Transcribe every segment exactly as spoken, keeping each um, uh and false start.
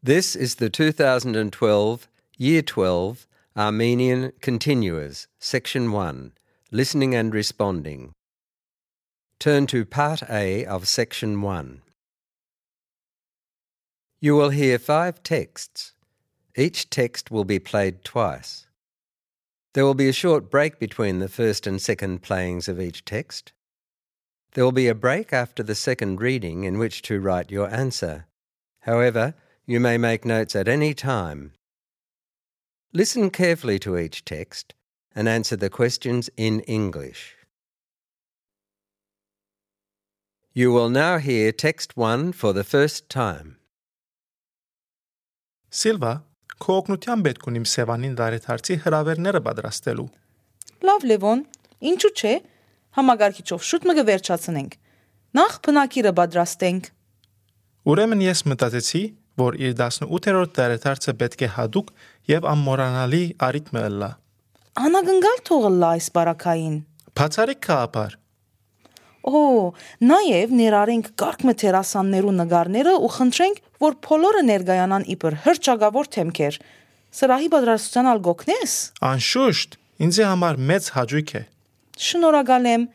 This is the two thousand twelve Year twelve Armenian Continuers, Section one, Listening and Responding. Turn to Part A of Section one. You will hear five texts. Each text will be played twice. There will be a short break between the first and second playings of each text. There will be a break after the second reading in which to write your answer. However, you may make notes at any time. Listen carefully to each text and answer the questions in English. You will now hear text one for the first time. Սիլվա, քո օգնության պետք ունիմ Սևանին դարեթարցի հրավերները պատրաստելու։ Լավ Լևոն, ինչու՞ չէ, համագարկիչով շուտ մը կվերջացնենք։ Նախ բնակիրը պատրաստենք։ Ուրեմն ես մտածեցի, որ իր տասնութերորդ դարեթարցը պետք է հadoop եւ անմոռանալի առիթ մը լա։ Անագնգալ թողլա այս բարակային։ Բացարիք քահապար։ Օ, նաև ներառենք կարգ մթերասաններու նկարները ու խնդրենք, որ բոլորը ներկայանան իբր հրճագավոր թեմքեր։ Սրահի պատրաստության ալ գոքնես։ Անշուշտ, ինձ համար մեծ հաճույք է։ Շնորհակալ եմ։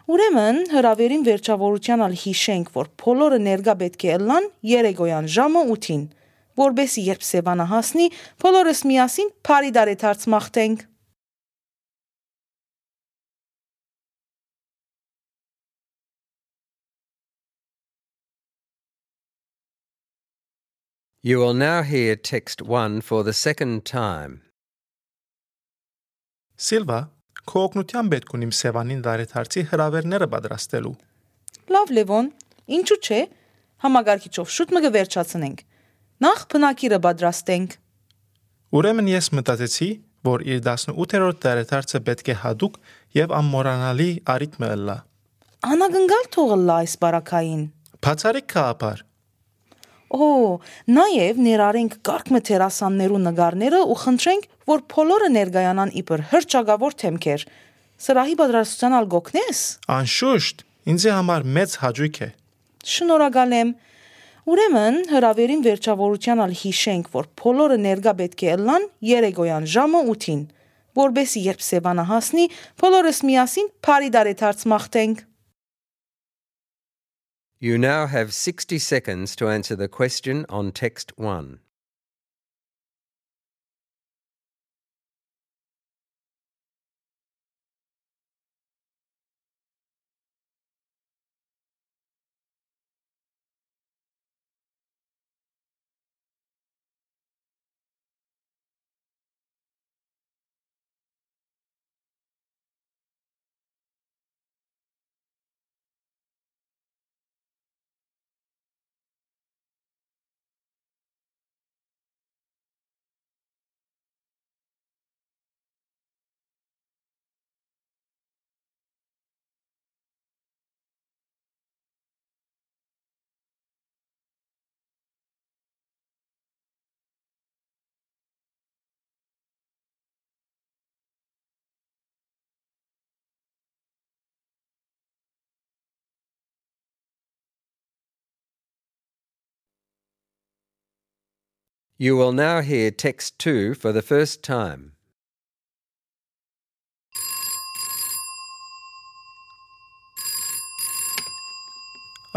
Ուրեմն հրավերին վերջավորության ալ հիշենք, որ բոլորը ներկա պետք է ելնան երեկոյան ժամը ութին, որբեսի երբ Սևանը հասնի, բոլորս միասին բարի դարեթարց մաղթենք։ You will now hear text one for the second time. Սիլվա, քո օգնության պետք ունիմ Սևանին դարեթարցի հրավերները պատրաստելու։ Լավ Լևոն, ինչու՞ չէ, համագարկիչով շուտ մը կվերջացնենք։ Նախ բնակիրը պատրաստենք։ Ուրեմն ես մտածեցի, որ իր տասնութերորդ դարեթարցը պետք է հadoop եւ անմոռանալի առիթ մը լա։ Անագնգալ թողլա այս բարակային։ Բացարիք քահապար։ Օ, նաև ներառենք կարգ մթերասաններու նկարները ու խնդրենք, որ բոլորը ներկայանան իբր հրճագավոր թեմքեր։ Սրահի պատրաստության ալ գոքնես։ Անշուշտ, ինձ համար մեծ հաճույք է։ Շնորհակալ եմ։ Ուրեմն հրավերին վերջավորության ալ հիշենք, որ բոլորը ներկա պետք է ելնան երեկոյան ժամը ութին, որբեսի երբ Սևանը հասնի, բոլորս միասին բարի դարեթարց մաղթենք։ You now have sixty seconds to answer the question on text one. You will now hear text two for the first time.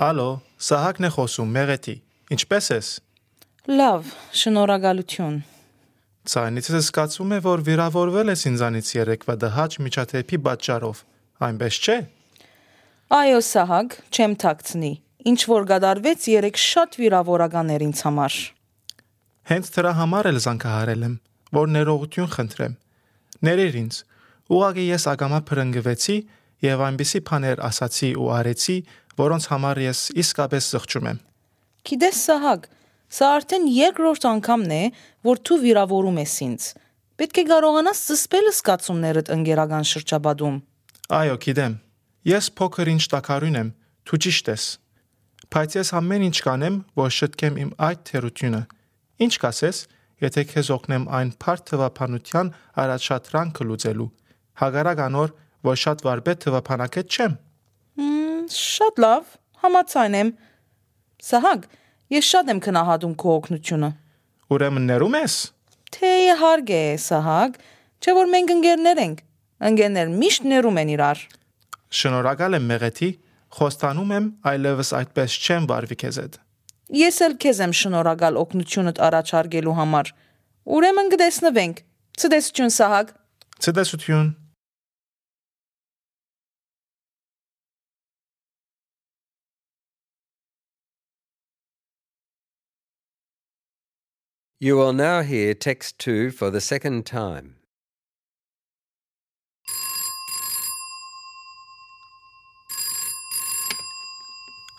Ալո, Սահակն է խոսում, Մեղեթի։ Ինչպե՞ս ես։ Լավ, շնորհակալություն։ Ցայնից ես զգացում է, որ վիրավորվել ես ինձանից երեկվա դահաճ միջաթեփի պատճառով, այնպես չէ։ Այո, Սահակ, չեմ թաքցնի։ Ինչ որ գդարվեց երեք շատ վիրավորական էր ինձ համար։ Հենց դրա համար էլ զանգահարել եմ, որ ներողություն խնդրեմ։ Ներիր ինձ։ Ուղղակի ես ագամա փրկվեցի եւ այնպիսի բաներ ասացի ու արեցի, որոնց համար ես իսկապես զղջում եմ։ Գիտես, Սահակ, սա արդեն երկրորդ անգամն է, որ դու վիրավորում ես ինձ։ Պետք է կարողանաս զսպել զգացումներդ ընկերական շրջապատում։ Այո, գիտեմ։ Ես փոքր ինչ տակարույն եմ, դու ճիշտ ես։ Բայց ես ամեն ինչ կանեմ, որ շտկեմ իմ այդ թերությունը։ Ինչ կասես, եթե քեզ օգնեմ այն բարդ թվափանության առաջադրանքը լուծելու։ Հագարակ անոր, որ շատ վարպետ թվափանակետ չեմ։ Շատ լավ, համաձայն եմ։ Սահակ, ես շատ եմ քնահատում քո օգնությունը։ Ուրեմն ներում ես։ Թե իհարկե, Սահակ, չէ որ մենք ընկերներ ենք։ Ընկերներ միշտ ներում են իրար։ Շնորհակալ եմ Մեղեթի, խոստանում եմ այլևս այդպես չեմ վարվի քեզ հետ։ Ես էլ քեզ եմ շնորհակալ օգնությունդ առաջարկելու համար։ Ուրեմն կտեսնվենք։ Ցտեսություն, Սահակ։ Ցտեսություն։ You will now hear text two for the second time.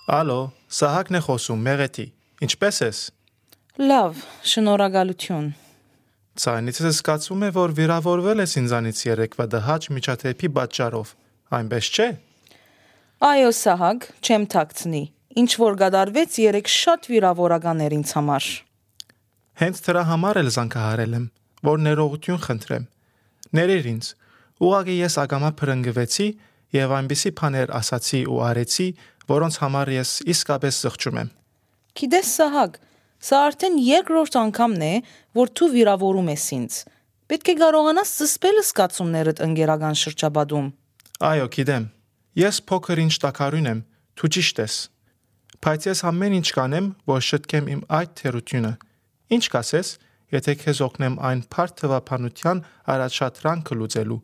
Ալո, Սահակն է խոսում, Մեղեթի։ Ինչպե՞ս ես։ Լավ, շնորհակալություն։ Ցայնիցս զգացում է, որ վիրավորվել ես ինձանից երեկվա դահաճ միջաթեպի պատճառով։ Այնպես չէ։ Այո, Սահակ, չեմ թաքցնի։ Ինչ որ գդարվեց երեք շատ վիրավորական էր ինձ համար։ Հենց դրա համար էլ զանգահարել եմ, որ ներողություն խնդրեմ։ Ներիր ինձ։ Ուղղակի ես ագամա փրկվեցի եւ այնպիսի բաներ ասացի ու արեցի, որոնց համար ես իսկապես զղջում եմ։ Գիտես, Սահակ, սա արդեն երկրորդ անգամն է, որ դու վիրավորում ես ինձ։ Պետք է կարողանաս զսպել զգացումներդ ընկերական շրջապատում։ Այո, գիտեմ։ Ես փոքր ինչ տակարուն եմ, դու ճիշտ ես։ Բայց ես ամեն ինչ կանեմ, որ շտկեմ իմ այդ թերությունը։ Ինչ կասես, եթե քեզ օգնեմ այն բարդ թվափանության առաջադրանքը լուծելու։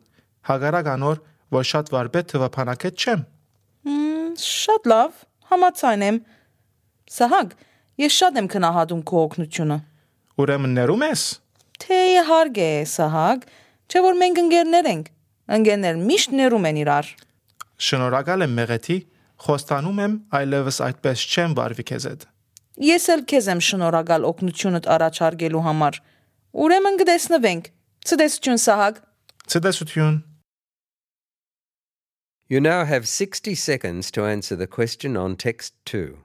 Հակառակ անոր, որ շատ վարպետ թվափանակետ չեմ։ Շատ լավ, համաձայն եմ։ Սահակ, ես շատ եմ գնահատում քո օգնությունը։ Ուրեմն ներում ես։ Թե իհարկե, Սահակ, չէ որ մենք ընկերներ ենք։ Ընկերներ միշտ ներում են իրար։ Շնորհակալ եմ Մեղեթի, խոստանում եմ այլևս այդպես չեմ վարվի քեզ հետ։ Ես էլ քեզ եմ շնորհակալ օգնությունդ առաջարկելու համար։ Ուրեմն կտեսնվենք։ Ցտեսություն, Սահակ։ Ցտեսություն։ You now have sixty seconds to answer the question on text two.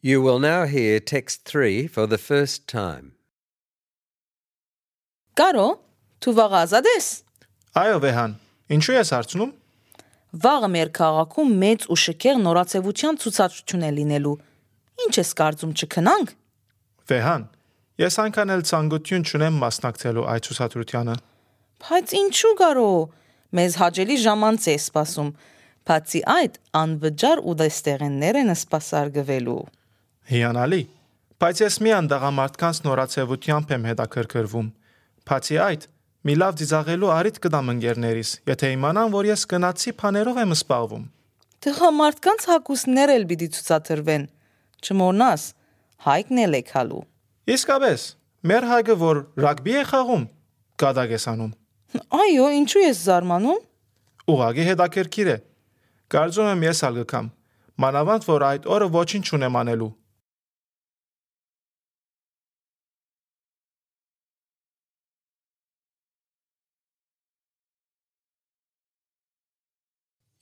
You will now hear text three for the first time. Կարո, դու վաղ ազատ ես։ Այո, Վեհան, ինչու ես հարցնում։ Վաղը մեր քաղաքում մեծ ու շքեղ նորացեվության ցուցադրություն է լինելու։ Ինչ ես կարծում, չքնանք։ Վեհան, ես այնքան էլ ցանկություն չունեմ մասնակցելու այդ ցուցադրությանը։ Բայց ինչու կարո, մեզ հաջելի ժամանց է սպասում։ Բացի այդ, անվճար ուտեստեղեններ են սպասարկվելու։ Հիանալի, բայց ես միան տղամարդկանց նորացեվությամբ եմ հետաքրքրվում։ Բացի այդ, մի լավ ծիծաղելու արիթ կտամ ընկերներիս, եթե իմանան, որ ես գնացի բաներով եմ սպառվում։ Տղամարդկանց հագուստներ էլ պիտի ցուցադրվեն։ Չմոռնաս, Հայկն էլ է քալու։ Իսկապես, մեր Հայկը որ ռագբի է խաղում, կատակ ես անում։ Այո, ինչու ես զարմանում։ Ուղղակի հետաքրքիր է։ Կարծում եմ ես ալ գկամ, մանավանդ որ այդ օրը ոչինչ չունեմ անելու։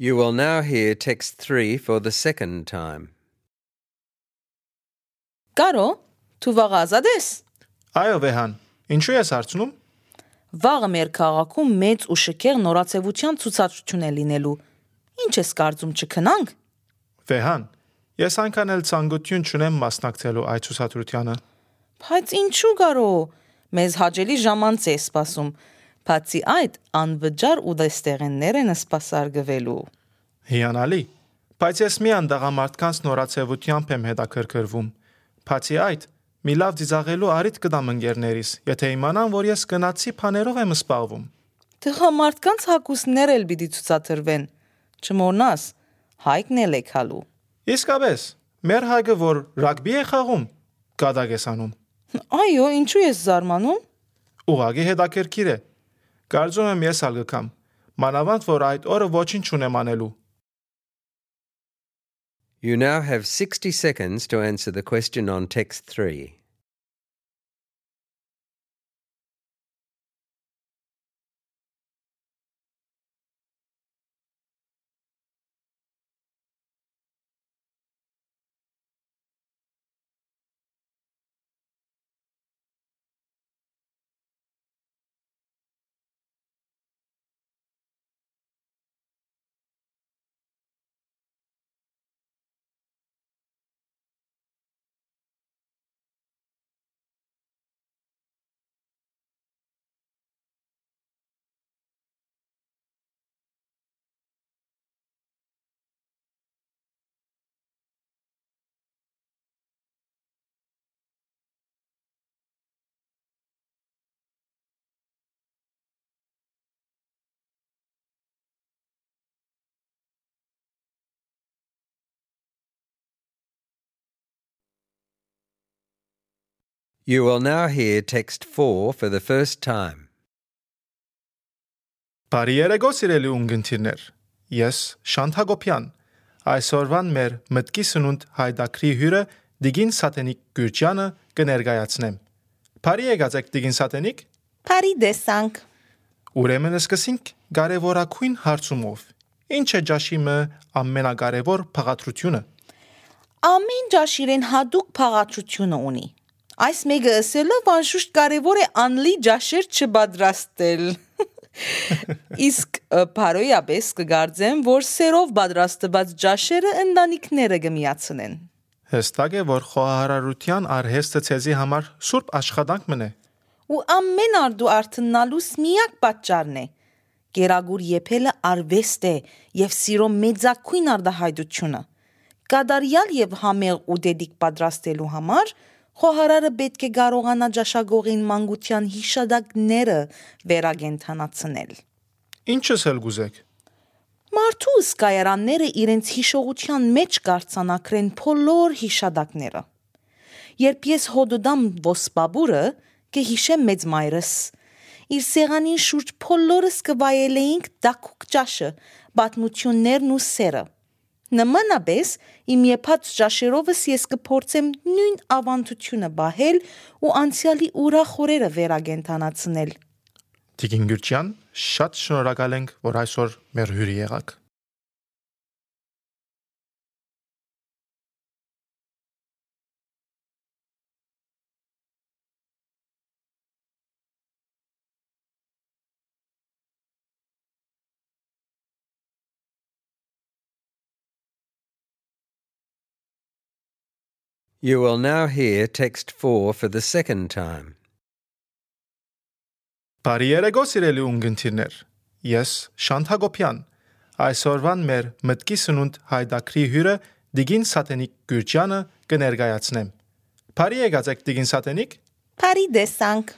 You will now hear text three for the second time. Կարո, դու վաղ ազատ ես։ Այո, Վեհան, ինչու ես հարցնում։ Վաղը մեր քաղաքում մեծ ու շքեղ նորացեվության ցուցադրություն է լինելու։ Ինչ ես կարծում, չքնանք։ Վեհան, ես այնքան էլ ցանկություն չունեմ մասնակցելու այդ ցուցադրությանը։ Բայց ինչու կարո, մեզ հաջելի ժամանց է սպասում։ Բացի այդ, անվճար ուտեստեղեններ են սպասարկվելու։ Հիանալի, բայց ես միան տղամարդկանց նորացեվությամբ եմ հետաքրքրվում։ Բացի այդ, մի լավ ծիծաղելու առիթ կտամ ընկերներիս, եթե իմանան, որ ես գնացի բաներով եմ սպառվում։ Տղամարդկանց հագուստներ էլ պիտի ցուցադրվեն։ Չմոռնաս, հայկն էլ է քալու։ Իսկապես, մեր հայկը որ ռագբի է խաղում, կադակ ես անում։ Այո, ինչու ես զարմանում։ Ուղղակի հետաքրքիր է։ Կարծում եմ ես ալ գկամ։ Մանավանդ որ այդ օրը ոչինչ չունեմ անելու։ You now have sixty seconds to answer the question on text three. You will now hear text four for the first time. Բարի երեկո սիրելի ունգընտիրներ։ Ես Շանթ Հակոբյան։ Այսօրվան մեր մտքի սնունդ հայդակրի հյուրը Տիգին Սատենիկ Գյուրջյանը կներկայացնեմ։ Բարի եկած եք Տիգին Սատենիկ։ Բարի դեսանք։ Ուրեմն սկսենք կարևորագույն հարցումով։ Ինչ է ճաշիմը ամենակարևոր փաղադրությունը։ Ամեն ճաշիրեն հատուկ փաղադրությունը ունի։ Այս մեկը ասելով անշուշտ կարևոր է անլի ճաշեր չպատրաստել։ Իսկ բարոյապես կգարձեմ, որ սերով պատրաստված ճաշերը ընտանիքները կմիացնեն։ Հստակ է, որ խոհարարության արհեստը ցեզի համար սուրբ աշխատանք մնե։ Ու ամեն արդու արթնալուս միակ պատճառն է։ Գերագուր եփելը արվեստ է եւ սիրո մեծակույն արդահայտությունը։ Կադարյալ եւ համեղ ու դեդիկ պատրաստելու համար խոհարարը պետք է կարողանա ճաշակողին մանկության հիշադակները վերագենթանացնել։ Ինչս էլ գուզեք։ Մարդու սկայարանները իրենց հիշողության մեջ կարծանակրեն բոլոր հիշադակները։ Երբ ես հոդոդամ ոսպաբուրը, կհիշեմ մեծ մայրս։ Իր սեղանին շուրջ բոլորս կվայելեինք դակուկ ճաշը, պատմություններն ու սերը։ Նմանապես իմ եփած ճաշերովս ես կփորձեմ նույն ավանդությունը բահել ու անցյալի ուրախ օրերը վերագենթանացնել։ Տիգին Գյուրջյան, շատ շնորհակալ ենք, որ այսօր մեր հյուրի եղաք։ You will now hear text four for the second time. Բարի երեկո սիրելի ունգընտիրներ։ Ես Շանթ Հակոբյան։ Այսօրվան մեր մտքի սնունդ հայդակրի հյուրը Տիգին Սատենիկ Գյուրջյանը կներկայացնեմ։ Բարի եկած եք Տիգին Սատենիկ։ Բարի դեսանք։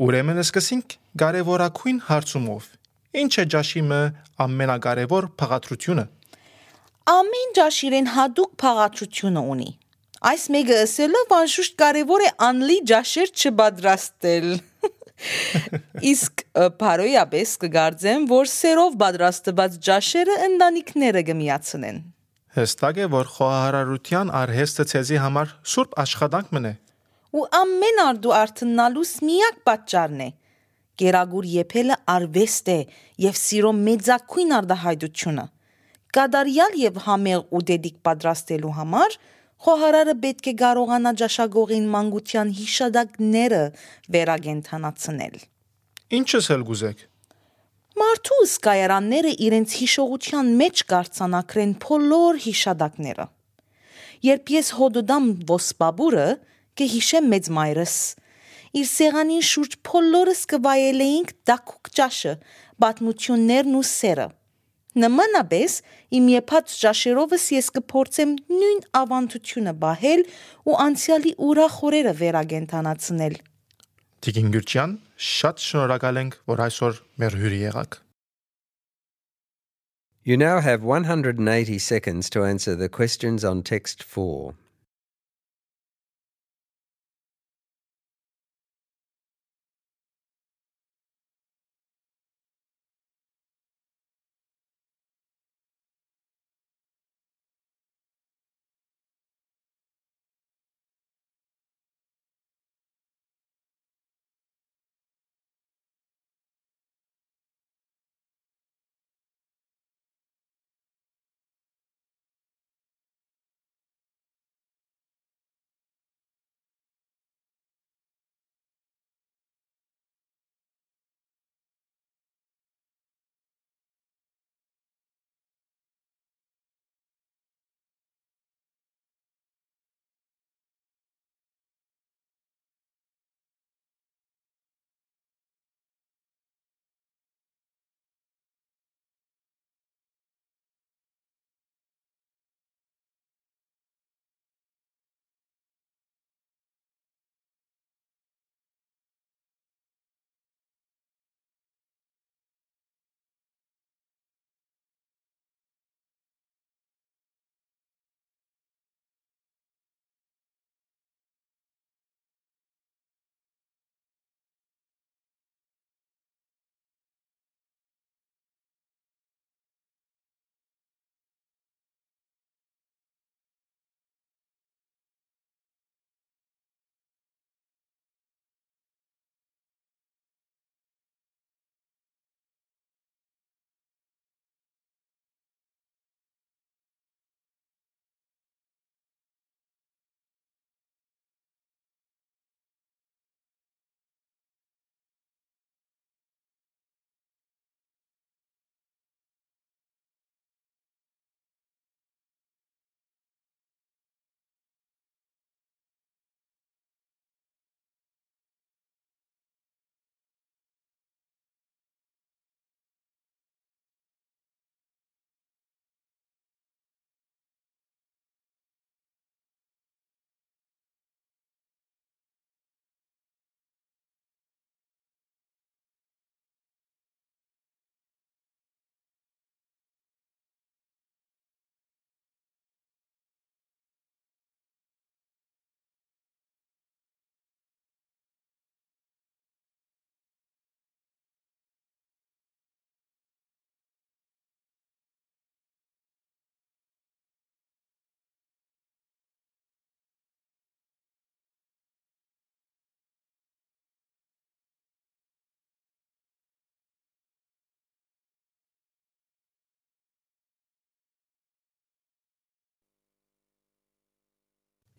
Ուրեմն սկսենք կարևորագույն հարցումով։ Ինչ է ճաշիմը ամենակարևոր փաղադրությունը։ Ամեն ճաշիրեն հատուկ փաղադրությունը ունի։ Այս մեկը ասելով անշուշտ կարևոր է անլի ճաշեր չպատրաստել։ Իսկ բարոյապես կգարձեմ, որ սերով պատրաստված ճաշերը ընտանիքները կմիացնեն։ Հստակ է, որ խոհարարության արհեստը ցեզի համար սուրբ աշխատանք մնե։ Ու ամեն արդու արթնալուս միակ պատճառն է։ Գերագուր եփելը արվեստ է եւ սիրո մեծակույն արդահայտությունը։ Կադարյալ եւ համեղ ու դեդիկ պատրաստելու համար խոհարարը պետք է կարողանա ճաշակողին մանկության հիշադակները վերագենթանացնել։ Ինչս էլ գուզեք։ Մարդու սկայարանները իրենց հիշողության մեջ կարծանակրեն բոլոր հիշադակները։ Երբ ես հոդոդամ ոսպաբուրը, կհիշեմ մեծ մայրս։ Իր սեղանին շուրջ բոլորս կվայելեինք դակուկ ճաշը, պատմություններն ու սերը։ Նմանապես իմ եփած ճաշերովս ես կփորձեմ նույն ավանդությունը բահել ու անցյալի ուրախ օրերը վերագենթանացնել։ Տիկին Գյուրջյան, շատ շնորհակալ ենք, որ այսօր մեր հյուրի եղաք։ You now have one hundred eighty seconds to answer the questions on text four.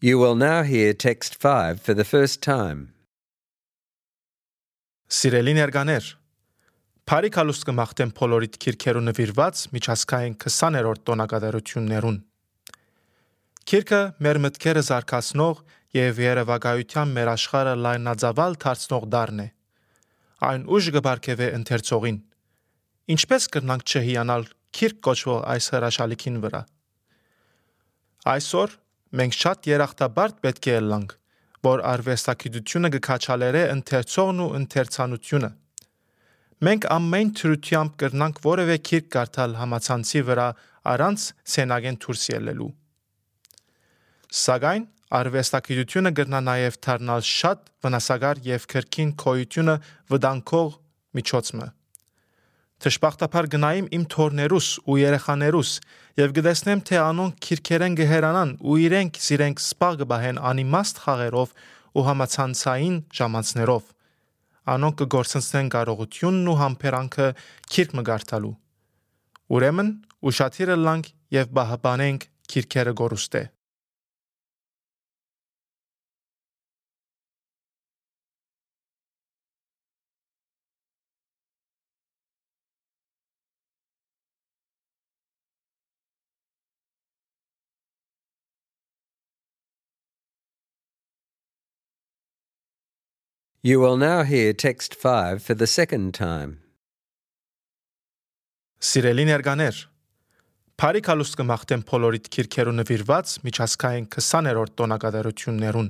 You will now hear text five for the first time. Սիրելի ներկաներ, Փարի կալուստ կմաղթեմ փոլորիդ քիրքերու նվիրված միջազգային քսաներորդ տոնակատարություններուն։ Քիրքը մեր մտքերը զարգացնող եւ երևակայության մեր աշխարհը լայնածավալ դարձնող դառն է։ Այն ուժ կբարգեւե ընթերցողին։ Ինչպես կրնանք չհիանալ քիրք կոչվող այս հրաշալիքին վրա։ Այսօր մենք շատ երախտաբարդ պետք է ելանք, որ արվեստագիտությունը կքաչալերե ընթերցողն ու ընթերցանությունը։ Մենք ամեն թրությամբ կրնանք որևէ քիրք կարդալ համացանցի վրա առանց սենագեն դուրս ելնելու։ Սակայն արվեստագիտությունը կրնա նաև դառնալ շատ վնասակար եւ քրքին քոյությունը վտանգող միջոցը։ Դժբախտաբար գնայիմ իմ թորներուս ու երեխաներուս եւ գտեսնեմ թե անոնք քիրքերեն գհերանան ու իրենք սիրենք սպաղ կբահեն անիմաստ խաղերով ու համացանցային ժամանցներով։ Անոնք կգործնցնեն կարողությունն ու համբերանքը քիրք մգարտալու։ Ուրեմն ուշադիր լանք եւ բահաբանենք քիրքերը գորուստե։ You will now hear text five for the second time. Սիրելի ներկաներ, Փարիք հալուստ կմաղթեմ փոլորիտ քիրքերու նվիրված միջազգային քսաներորդ տոնակատարություններուն։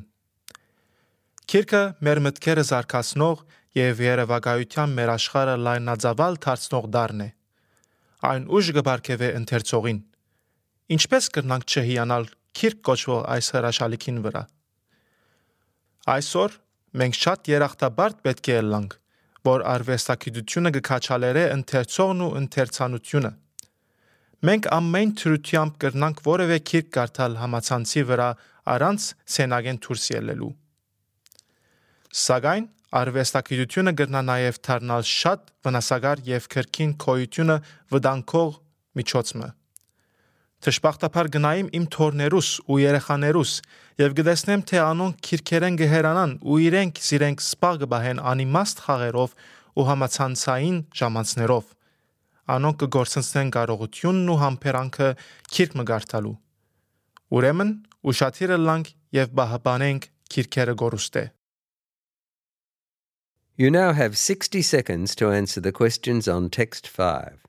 Քիրքը մեր մտքերը զարգացնող եւ երևակայության մեր աշխարհը լայնածավալ դարձնող դառն է։ Այն ուժ կբարգեւե ընթերցողին։ Ինչպես կրնանք չհիանալ քիրք կոչվող այս հրաշալիքին վրա։ Այսօր մենք շատ երախտաբարդ պետք է ելանք, որ արվեստագիտությունը կքաչալերե ընթերցողն ու ընթերցանությունը։ Մենք ամեն թրությամբ կրնանք որևէ քիրք կարդալ համացանցի վրա առանց սենագեն դուրս ելնելու։ Սակայն արվեստագիտությունը կրնա նաև դառնալ շատ վնասակար եւ քրքին քոյությունը վտանգող միջոցը։ Դժբախտաբար գնայիմ իմ թորներուս ու երեխաներուս եւ գտեսնեմ թե անոնք քիրքերեն գհերանան ու իրենք սիրենք սպաղ կբահեն անիմաստ խաղերով ու համացանցային ժամանցներով։ Անոնք կգործնցնեն կարողությունն ու համբերանքը քիրք մգարտալու։ Ուրեմն ուշադիր լանք եւ բահաբանենք քիրքերը գորուստե։ You now have sixty seconds to answer the questions on text five.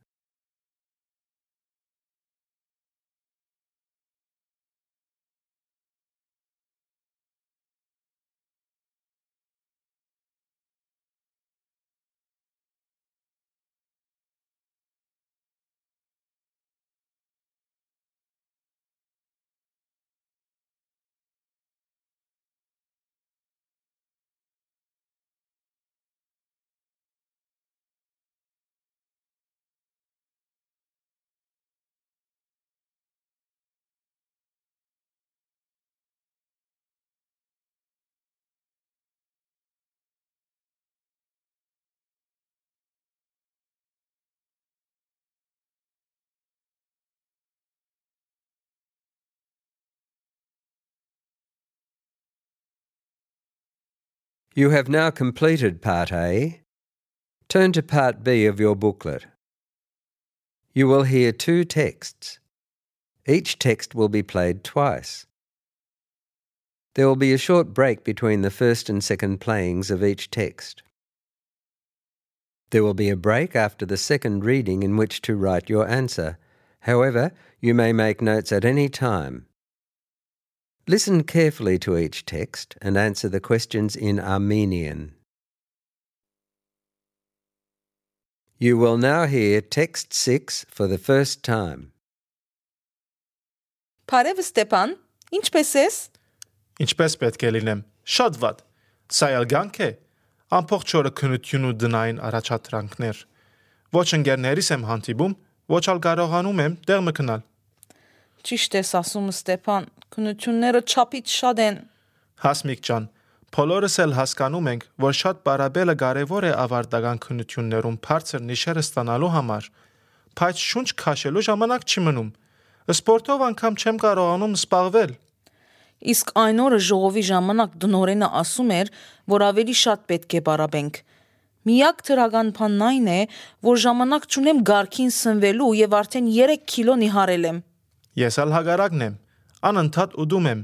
You have now completed Part A. Turn to Part B of your booklet. You will hear two texts. Each text will be played twice. There will be a short break between the first and second playings of each text. There will be a break after the second reading in which to write your answer. However, you may make notes at any time. Listen carefully to each text and answer the questions in Armenian. You will now hear text six for the first time. Բարև Ստեփան, ինչպե՞ս ես։ Ինչպես պետք է լինեմ։ Շատ վատ։ Սա ելգանք է։ Ամբողջ օրը քնություն ու դնային առաջադրանքներ։ Ոչ ընկերներիս եմ հանդիպում, ոչ ալ կարողանում եմ տեղ մտնալ։ Ճիշտ ես ասում Ստեփան, քնությունները չափից շատ են։ Հասմիկ ջան, բոլորս էլ հասկանում ենք, որ շատ բարաբելը կարևոր է ավարտական քնություններում բարձր նիշերը ստանալու համար, բայց շունչ քաշելու ժամանակ չի մնում։ Սպորտով անգամ չեմ կարողանում սպաղվել։ Իսկ այն օրը ժողովի ժամանակ դնորենը ասում էր, որ ավելի շատ պետք է բարաբենք։ Միակ թրական բանն այն է, որ ժամանակ չունեմ գարքին սնվելու եւ արդեն երեք կիլո նիհարել եմ։ Ես ալ հագարակն եմ, անընդհատ ուդում եմ։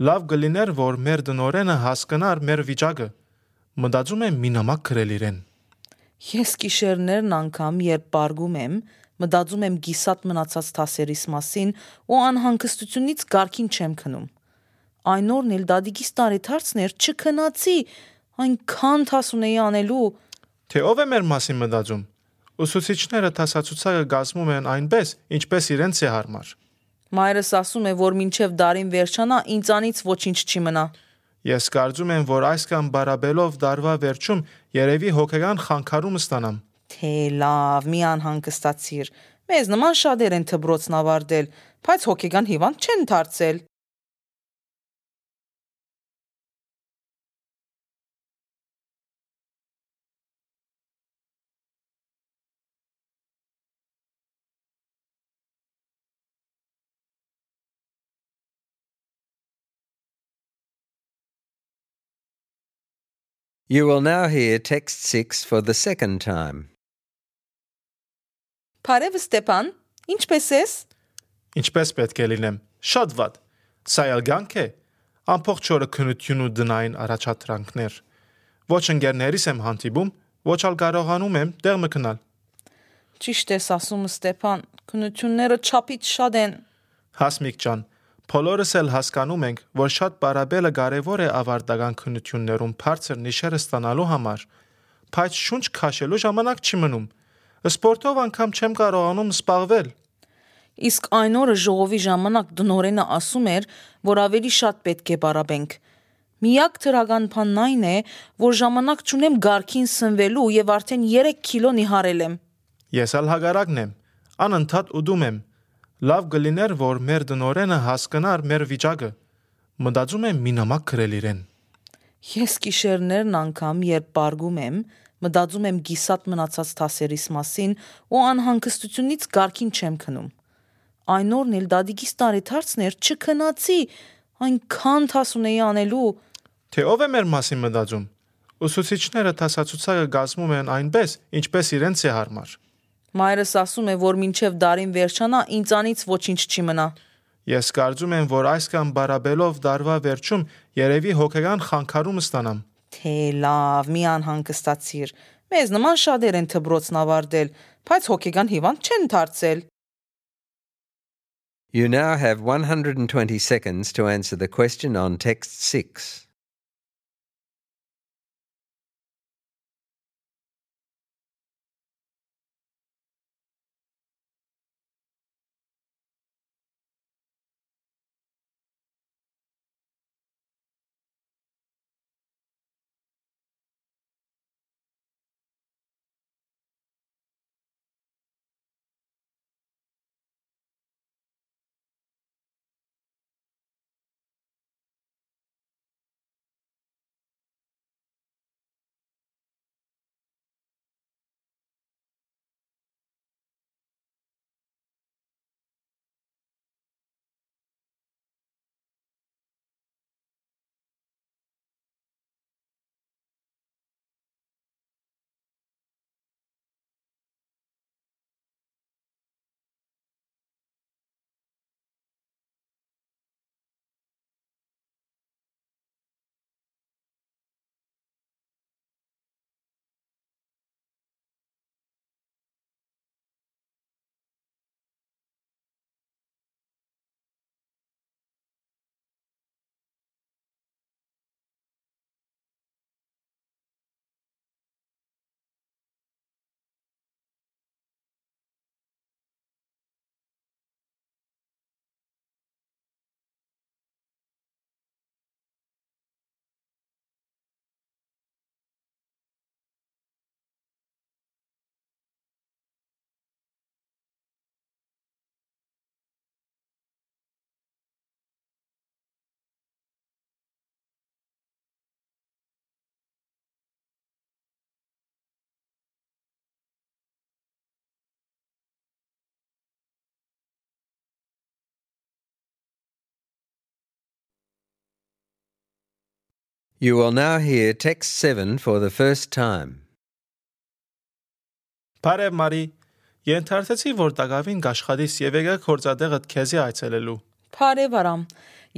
Լավ կլիներ, որ մեր դնորենը հասկանար մեր վիճակը։ Մտածում եմ մի նամակ գրել իրեն։ Ես գիշերներն անգամ, երբ պարգում եմ, մտածում եմ գիսատ մնացած թասերիս մասին ու անհանգստությունից գարքին չեմ քնում։ Այն օրն էլ դադիկիս տարեթարցներ չքնացի, այնքան թաս ունեի անելու։ Թե ով է մեր մասին մտածում։ Ուսուցիչները թասացուցակը գազմում են այնպես, ինչպես իրենց է հարմար։ Մայրս ասում է, որ մինչև դարին վերջանա, ինձանից ոչինչ չի մնա։ Ես կարծում եմ, որ այսքան բարաբելով դարվա վերջում երևի հոգեգան խանգարում ստանամ։ Թե լավ, մի անհանգստացիր։ Մեզ նման շատեր են դպրոցն ավարտել, բայց հոգեգան հիվանդ չեն դարձել։ You will now hear text six for the second time. Բարև Ստեփան, ինչպե՞ս ես։ Ինչպես պետք է լինեմ։ Շատ վատ։ Սա ելգանք է։ Ամբողջ օրը քնություն ու դնային առաջադրանքներ։ Ոչ ընկերներիս եմ հանդիպում, ոչ ալ կարողանում եմ տեղ մտնալ։ Ճիշտ ես ասում Ստեփան, քննությունները չափից շատ են։ Հասմիկ ջան, բոլորս էլ հասկանում ենք, որ շատ պարաբելը կարևոր է ավարտական քննություններում բարձր նիշերը ստանալու համար, բայց շունչ քաշելու ժամանակ չի մնում։ Սպորտով անգամ չեմ կարողանում զբաղվել։ Իսկ այն օրը ժողովի ժամանակ դնորենը ասում էր, որ ավելի շատ պետք է պարաբենք։ Միակ թրական բանն այն է, որ ժամանակ չունեմ գարքին սնվելու եւ արդեն երեք կիլո նիհարել եմ։ Ես ալ հագարակն եմ, անընդհատ ուդում եմ։ Լավ կլիներ, որ մեր դնորենը հասկանար մեր վիճակը։ Մտածում եմ մի նամակ գրել իրեն։ Ես գիշերներն անգամ, երբ պարգում եմ, մտածում եմ գիսատ մնացած դասերիս մասին ու անհանգստությունից գարքին չեմ քնում։ Այն օրն էլ դադիկիս տարեթարցներ չքնացի, այնքան թաս ունեի անելու։ Թե ով է մեր մասին մտածում։ Ուսուցիչները դասացուցակը կազմում են այնպես, ինչպես իրենց է հարմար։ Մայրս ասում է, որ մինչև դարին վերջանա, ինձանից ոչինչ չի մնա։ Ես կարծում եմ, որ այսքան բարաբելով դարվա վերջում երևի հոգեգան խանգարում ստանամ։ Թե լավ, մի անհանգստացիր։ Մեզ նման շատեր են դպրոցն ավարտել, բայց հոգեգան հիվանդ չեն դարձել։ You now have one hundred twenty seconds to answer the question on text six. You will now hear text seven for the first time. Բարև Մարի, ենթարկեցի, որ տակավին կաշխատիս եւ եկա կորցադեղդ քեզի այցելելու։ Բարև Արամ,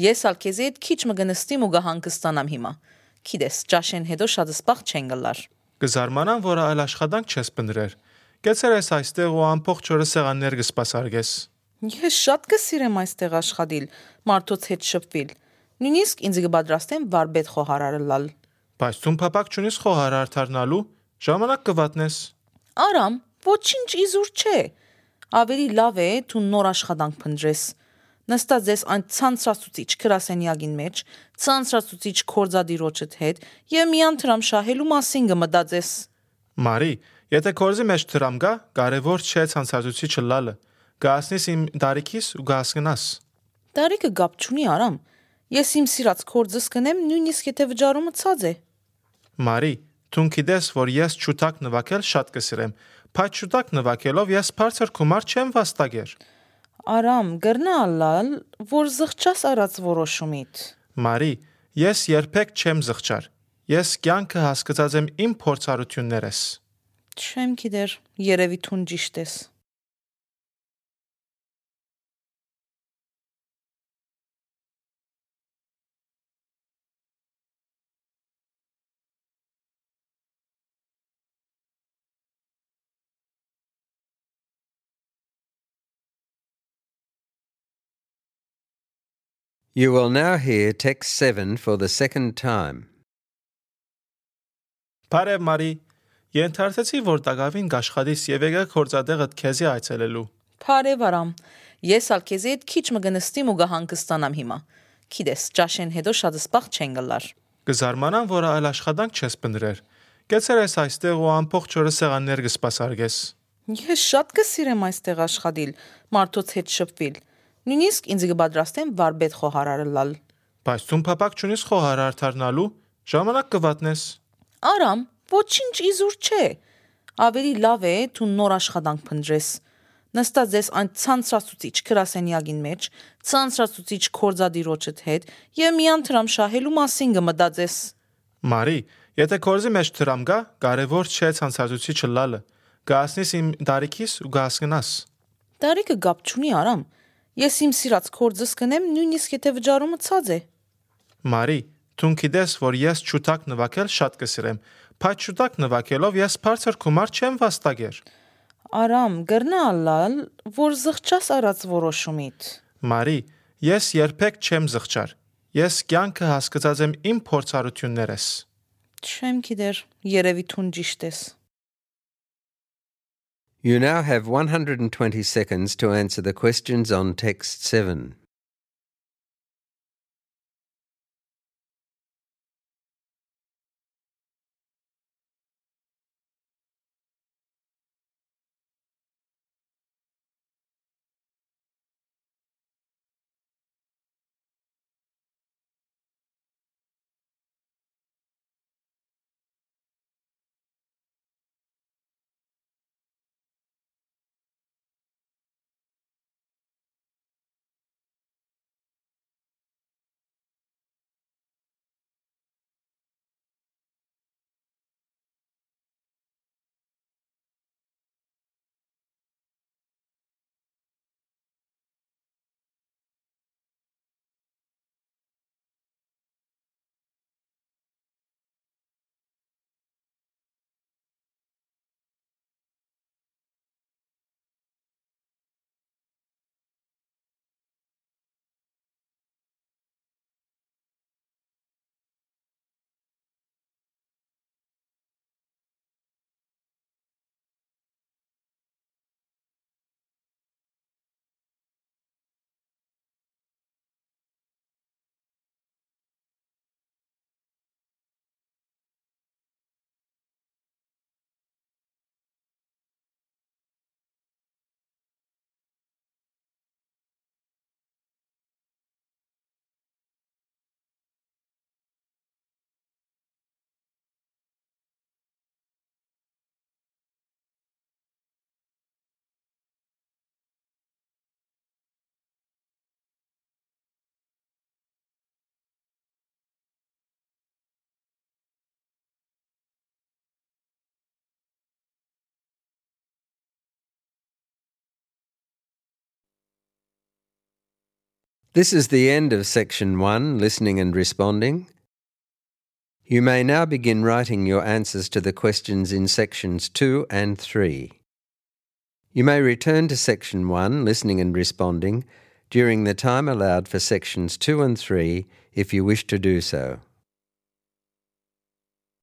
ես ալ քեզի հետ քիչ մգնստիմ ու կհանգստանամ հիմա։ Գիտես, ճաշեն հետո շատ սպաղ չեն գլար։ Կզարմանամ, որ այլ աշխատանք չես բնդրեր։ Գեցեր ես այստեղ ու ամբողջ օրը սեղաններ կսպասարկես։ Ես շատ կսիրեմ այստեղ աշխատել, մարդոց հետ շփվել։ Նույնիսկ ինձ կպատրաստեմ վարպետ խոհարարը լալ։ Բայց դու փապակ չունես խոհարար դառնալու, ժամանակ կվատնես։ Արամ, ոչինչ իզուր չէ։ Ավելի լավ է դու նոր աշխատանք փնտրես։ Նստած ես այն ցանցրացուցիչ գրասենյակին մեջ, ցանցրացուցիչ կորձադիրոջդ հետ եւ միան դրամ շահելու մասին կմտածես։ Մարի, եթե կորզի մեջ դրամ գա, կարևոր չէ ցանցրացուցիչը լալը։ Գասնես իմ դարիքիս ու գասկնաս։ Դարիքը գապ չունի, Արամ։ Ես իմ սիրած կորձս կնեմ, նույնիսկ եթե վճարումը ցած է։ Մարի, դու գիտես, որ ես ճուտակ նվակել շատ կսիրեմ, բայց ճուտակ նվակելով ես բարձր գումար չեմ վաստակեր։ Արամ, գրնալալ, որ զղջաս արած որոշումիդ։ Մարի, ես երբեք չեմ զղջար։ Ես կյանքը հասկացած եմ իմ փորձառություններս։ Չեմ գիտեր, երևի թուն ճիշտ ես։ You will now hear text seven for the second time. Բարև Մարի, ենթարկեցի, որ տակավին գաշխատիս եւ եկա կորցադեղդ քեզի այցելելու։ Բարև Արամ, ես ալ քեզի հետ քիչ մը գնստիմ ու գահանգստանամ հիմա։ Գիտես, ճաշեն հետո շատ սպաղ չեն գլար։ Կզարմանամ, որ այլ աշխատանք չես բնդրեր։ Գեցեր ես այստեղ ու ամբողջ օրը սեղաններ կսպասարկես։ Ես շատ կսիրեմ այստեղ աշխատիլ, մարդոց հետ շփվել։ Նույնիսկ ինձ կպատրաստեմ վարպետ խոհարարել։ Բայց դու փապակ չունես խոհարար դառնալու, ժամանակ կվատնես։ Արամ, ոչինչ իզուր չէ։ Ավելի լավ է դու նոր աշխատանք փնտրես։ Նստած ես այն ցանցրացուցիչ գրասենյակին մեջ, ցանցրացուցիչ կորձադիրոջդ հետ եւ միան դրամ շահելու մասին կմտածես։ Մարի, եթե կորզի մեջ դրամ գա, կարևոր չէ ցանցրացուցիչը լալը։ Գասնես իմ դարիքիս ու գասկնաս։ Դարիքը գապ չունի, Արամ։ Ես իմ սիրած կորձս կնեմ, նույնիսկ եթե վճարումը ցած է։ Մարի, դու գիտես, որ ես շուտակ նվագել շատ կսիրեմ, բայց շուտակ նվագելով ես բարձր գումար չեմ վաստակեր։ Արամ, գրնալալ, որ զղջաս արած որոշումիդ։ Մարի, ես երբեք չեմ զղջար։ Ես կյանքը հասկացած եմ իմ փորձառություններս։ Չեմ գիտեր, երևի թուն ճիշտ ես։ You now have one hundred twenty seconds to answer the questions on text seven. This is the end of section one, listening and responding. You may now begin writing your answers to the questions in sections two and three. You may return to section one, listening and responding, during the time allowed for sections two and three if you wish to do so.